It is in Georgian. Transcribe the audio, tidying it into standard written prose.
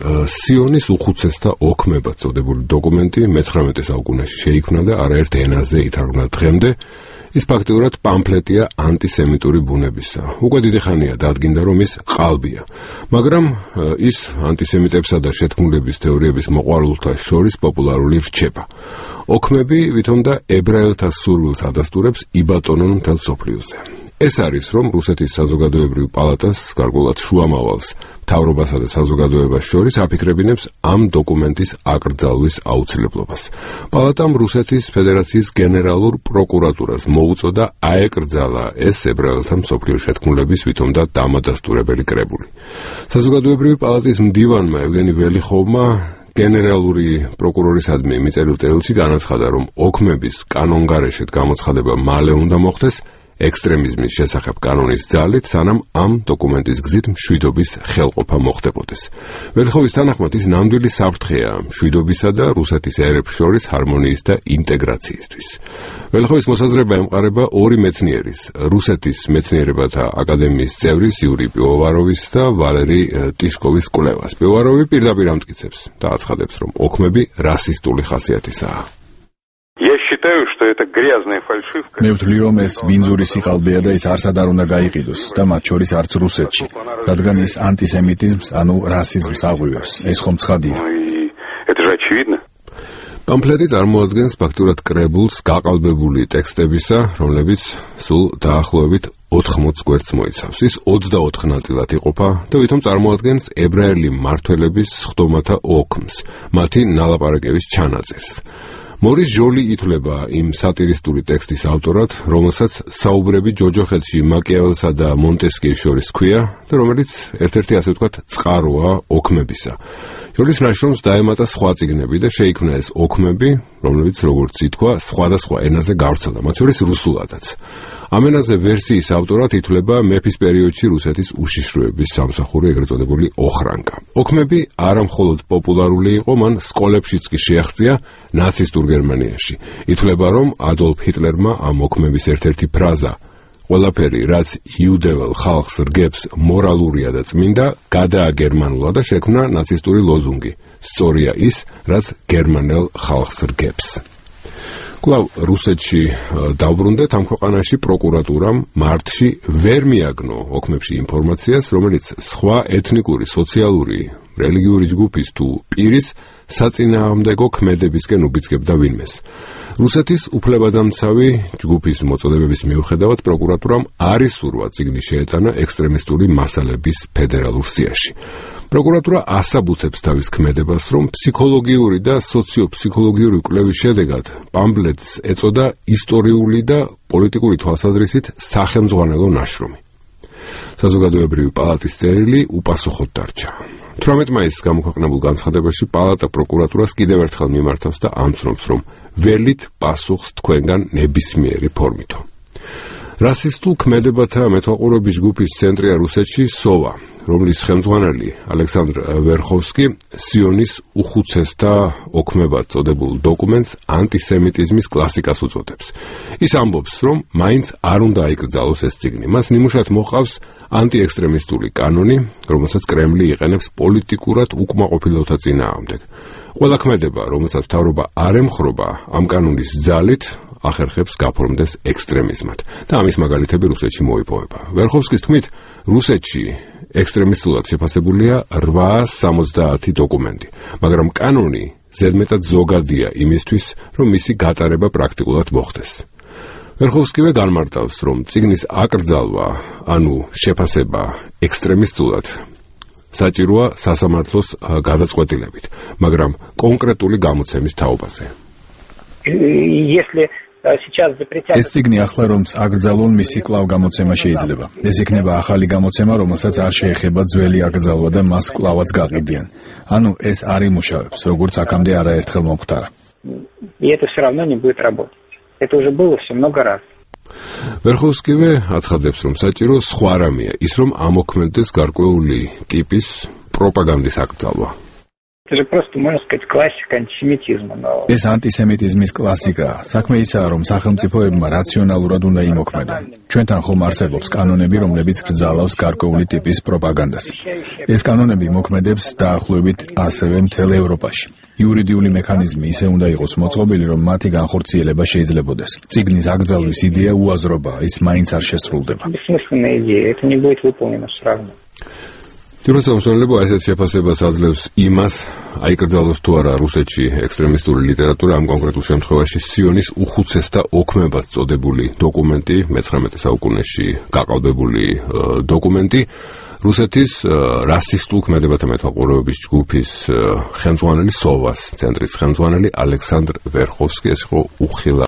სიონის უხუცესთა ოქმებად წოდებული დოკუმენტი მე-19 საუკუნეში შეიქმნა და არაერთ ენაზე ითარგმნა დღემდე. ის ფაქტიურად პამფლეტია ანტისემიტური ბუნებისა. უკვე დიდი ხანია დადგინდა, რომ ის ყალბია. მაგრამ ის ანტისემიტებსა და შეთქმულების თეორიების მოყვარულთა შორის პოპულარული რჩება. ოქმები ვითომ და ებრაელთა სურვილს ადასტურებს იბატონონ მთელ მსოფლიოზე. ეს არის, რომ რუსეთის საზოგადოებრივ პალატას, გარკვეულად შუამავალს, მთავრობასა და საზოგადოებას შორის აფიქრებინებს ამ დოკუმენტის აკრძალვის აუცილებლობას. პალატამ რუსეთის ფედერაციის გენერალურ პროკურატურას მოუწოდა აეკრძალა ეს ებრაელთა მსოფლიო შეთქმულების ვითომ და დამადასტურებელი კრებული. საზოგადოებრივი პალატის მდივანმა ევგენი ველიხოვმა გენერალური პროკურორისადმი მიწერილ წერილში განაცხადა, რომ ოქმების კანონგარეშეთ გამოცხადება მალე უნდა მოხდეს ექსტრემიზმის შესახებ კანონის ძალით, სანამ ამ დოკუმენტის გზით მშვიდობის ხელყოფა მოხდებოდეს. ველიხოვის თანახმად ის ნამდვილი საფრთხეა მშვიდობისა და რუსეთის ერებს შორის ჰარმონიის და ინტეგრაციისთვის. ველიხოვის მოსაზრება ემყარება ორი მეცნიერის, რუსეთის მეცნიერებათა აკადემიის წევრის იური პივოვაროვის და ვალერი ტიშკოვის კვლევას. პივოვაროვი პირდაპირ ამტკიცებს და აცხადებს, რომ ოქმები რასისტული ხასიათისაა. მე ვთვლი, რომ ეს ბინძური სიყალბეა და ის არსად არ უნდა გაიყიდოს და მათ შორის არც რუსეთში, რადგან ის ანტისემიტიზმს, ანუ რასიზმს აღვივებს. ეს ხომ ცხადია. პამფლეტი წარმოადგენს ფაქტურად კრებულს გაყალბებული ტექსტებისა, რომლებიც სულ დაახლოებით 80 გვერდს მოიცავს. ის 24 ნაწილად იყოფა და ვითომ წარმოადგენს ებრაელი მმართველების სხდომათა ოქმს, მათი ნალაპარაკების ჩანაწერს. მორის ჟოლი ითვლება იმ სატირისტული ტექსტის ავტორად, რომელსაც საუბრები ჯოჯოხეთში მაკიაველსა და მონტესკიეს შორის ჰქვია და რომელიც ერთ-ერთი ასე ვთქვათ წყაროა ოქმებისა. ჟოლის ნაშრომს დაემატა სხვა წიგნები და შეიქმნა ეს ოქმები, რომლებიც როგორც ითქვა, სხვადასხვა ენაზე გავრცელდა, მათ შორის რუსულადაც. ამ ენაზე ვერსიის ავტორად ითვლება მეფის პერიოდში რუსეთის უშიშროების სამსახური, ეგრეთ წოდებული ოხრანკა. ოქმები არა მხოლოდ პოპულარული იყო, მან სკოლებშიც კი შეაღწია ნაცისტურ გერმანიაში. ითვლება, რომ ადოლფ ჰიტლერმა ამ ოქმების ერთ-ერთი ფრაზა ყველაფერი, რაც იუდეველ ხალხს რგებს, მორალურია და წმინდა, გადააგერმანულა და შექმნა ნაცისტური ლოზუნგი. სწორია ის, რაც გერმანელ ხალხს რგებს. კვლავ რუსეთში დავბრუნდეთ, ამ ქვეყანაში პროკურატურამ მარტში ვერ მიაგნო ოქმებში ინფორმაციას, რომელიც სხვა ეთნიკური, სოციალური, რელიგიური ჯგუფის თუ პირის საწინააღმდეგო ქმედებისკენ უბიძგებდა ვინმეს. რუსეთის უფლებადამცავი ჯგუფის მოწოდებების მიუხედავად პროკურატურამ არ ისურვა წიგნი შეეტანა ექსტრემისტული მასალების ფედერალურ სიაში. პროკურატურა ასაბუთებს თავის ქმედებას, რომ ფსიქოლოგიური და სოციოფსიქოლოგიური კვლევის შედეგად პამფლეტს ეწოდა ისტორიული და პოლიტიკური თვალსაზრისით სახელმძღვანელო ნაშრომი. საზოგადოებრივი პალატის წერილი უპასუხოდ დარჩა. 18 მაისს გამოქვეყნებულ განცხადებაში პალატა პროკურატურას კიდევ ერთხელ მიმართავს და ამცნობს, რომ ველით პასუხს თქვენგან ნებისმიერი ფორმითო. რასისტულ ქმედებათა მეთვალყურების ჯგუფის ცენტრია რუსეთში სოვა, რომლის ხელმძღვანელი ალექსანდრ ვერხოვსკი სიონის უხუცესთა ოქმებად წოდებულ დოკუმენტს ანტისემიტიზმის კლასიკას უწოდებს. ის ამბობს, რომ მაინც არ უნდა აიკრძალოს ეს წიგნი. მას ნიმუშად მოყავს ანტიექსტრემისტული კანონი, რომელსაც კრემლი იყენებს პოლიტიკურად უკმაყოფილოთა წინააღმდეგ. ყველა ქმედება, რომელსაც მთავრობა არ ემხრობა, ამ კანონის ძალით ახერხებს გაფორმდეს ექსტრემიზმად და ამის მაგალითები რუსეთში მოიპოვება. ვერხოვსკის თქმით, რუსეთში ექსტრემისტულად შეფასებულია 870 დოკუმენტი, მაგრამ კანონი ზედმეტად ზოგადია იმისთვის, რომ მისი გატარება პრაქტიკულად მოხდეს. ვერხოვსკივე განმარტავს, რომ წიგნის აკრძალვა, ანუ შეფასება ექსტრემისტულად საჭიროა სასამართლოს გადაწყვეტილებით, მაგრამ კონკრეტული გამოცემის თაობაზე. ეს წიგნი ახლა რომ აკრძალონ, მისი კვლავ გამოცემა შეიძლება. ეს იქნება ახალი გამოცემა, რომელსაც არ შეეხება ძველი აკრძალვა და მას კვლავაც გაყიდიან. ანუ ეს არ იმუშავებს, როგორც აქამდე არაერთხელ მომხდარა. ვერხოვსკივე აცხადებს, რომ საჭირო სხვა რამეა, ის რომ ამოქმედდეს გარკვეული ტიპის პროპაგანდის აკრძალვა. Это же просто, можно сказать, классика антисемитизма. ეს ანტისემიტიზმის კლასიკაა. საქმე ისაა, რომ სახელმწიფოებმა რაციონალურად უნდა იმოქმედონ. ჩვენთან ხომ არსებობს კანონები, რომლებიც გრძალავს გარკვეული ტიპის პროპაგანდას. ეს კანონები მოქმედებს დაახლოებით ასევე მთელ ევროპაში. იურიდიული მექანიზმი ისე უნდა იყოს მოწყობილი, რომ მათი განხორციელება შეიძლებოდეს. წიგნის აკრძალვის იდეა უაზრობაა, ის მაინც არ შესრულდება. Бессмысленная идея, это не будет выполнено все равно. თვითმსახურება ასეთ შეფასებას აძლევს იმას, აიკრძალოს თუ არა რუსეთში ექსტრემისტული ლიტერატურა, ამ კონკრეტულ შემთხვევაში სიონის უხუცესთა ოქმებად წოდებული დოკუმენტი, მე-19 საუკუნეში გაყალბებული დოკუმენტი, რუსეთის რასისტულ ქმედებათა მეთვალყურეობის ჯგუფის ხელმძღვანელი სოვას ცენტრის ხელმძღვანელი ალექსანდრ ვერხოვსკი, ეს იყო უხილავ